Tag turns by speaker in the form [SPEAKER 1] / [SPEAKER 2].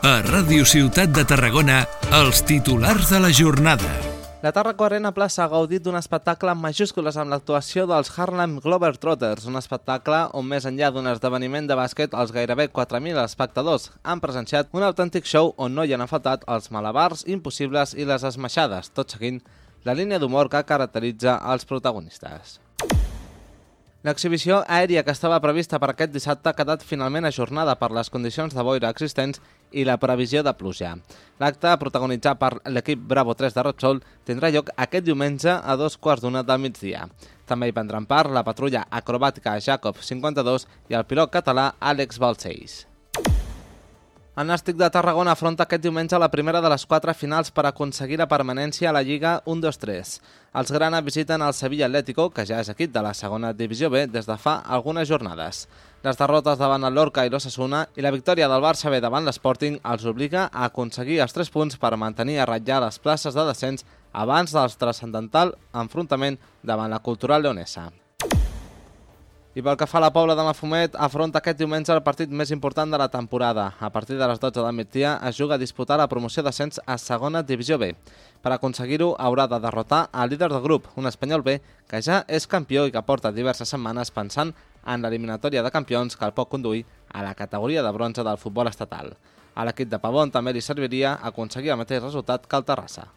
[SPEAKER 1] A Ràdio Ciutat de Tarragona, els titulars de la jornada.
[SPEAKER 2] La Tàrraco Arena Plaça ha gaudit d'un espectacle amb majúscules amb l'actuació dels Harlem Globetrotters, un espectacle on més enllà d'un esdeveniment de bàsquet els gairebé 4.000 espectadors han presenciat un autèntic show on no hi han faltat els malabars impossibles i les esmaixades, tot seguint la línia d'humor que caracteritza els protagonistes. L'exhibició aèria que estava prevista per aquest dissabte ha quedat finalment ajornada per les condicions de boira existents i la previsió de pluja. L'acte, protagonitzat per l'equip Bravo 3 de Repsol, tindrà lloc aquest diumenge a 2:15 del migdia. També hi prendran part la patrulla acrobàtica Jacob 52 i el pilot català Àlex Balcells. El Nàstic de Tarragona afronta aquest diumenge la primera de les 4 finals per aconseguir la permanència a la Lliga 1-2-3. Els grana visiten el Sevilla Atlético, que ja és equip de la segona divisió B des de fa algunes jornades. Les derrotes davant el Lorca i l'Osasuna i la victòria del Barça B davant l'Sporting els obliga a aconseguir els 3 punts per mantenir a ratllar les places de descens abans del transcendental enfrontament davant la Cultural Leonesa. I pel que fa a la Pobla de Mafumet, afronta aquest diumenge el partit més important de la temporada. A partir de les 12 del migdia es juga a disputar la promoció d'ascens a segona divisió B. Per aconseguir-ho haurà de derrotar el líder del grup, un Espanyol B, que ja és campió i que porta diverses setmanes pensant en l'eliminatòria de campions que el pot conduir a la categoria de bronze del futbol estatal. A l'equip de Pavón també li serviria aconseguir el mateix resultat que el Terrassa.